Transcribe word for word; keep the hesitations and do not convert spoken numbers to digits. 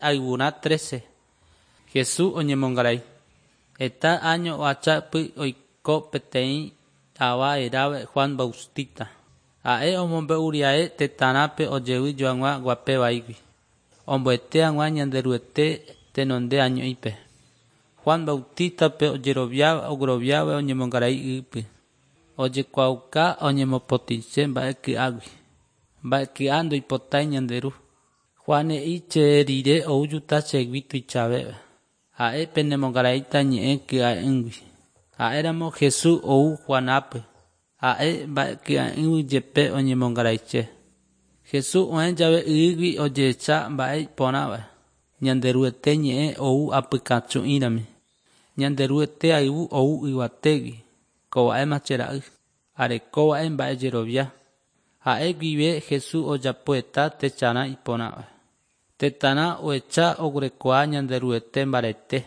Ayvurã trece. Jesús oñemongarai. Heta áño ohachapy oiko peteĩ ava hérava Juan Bautista. Ha'e omombe'uriae tetãrãpe ojevy joag̃ua guape vaígui. Omboete hag̃ua Ñanderuete tenonde año'ípe. Juan Bautista-pe ojeroviáva ogueroviáva oñemongarai ýpe. Ojekuaauka oñemopotĩse mba'e ky'águi. Mba'e ky'a ndoipotái ñande ru. Juan he'i che rire oújuta chegui tuichavéva. Ha'e penemongaraíta ñe'ẽ ky'a'ỹgui. Ha'éramo Jesús ou Juanápe. Ha'e mba'e ky'a'ỹgui jepe oñemongaraiche. Jesús oẽ jave ýgui ojehecha mba'e iporãva. Ñanderuete ñe'ẽ ou apykachu'ĩrami. Ñanderuete ayvu ou yvatégui. Kova'éma che ra'y. Arekóva'e mba'ejerovia. Ha'e guive Jesús ojapo heta techarã iporãva. Tetãrã ohecha oguerekoha Ñanderuete mbarete.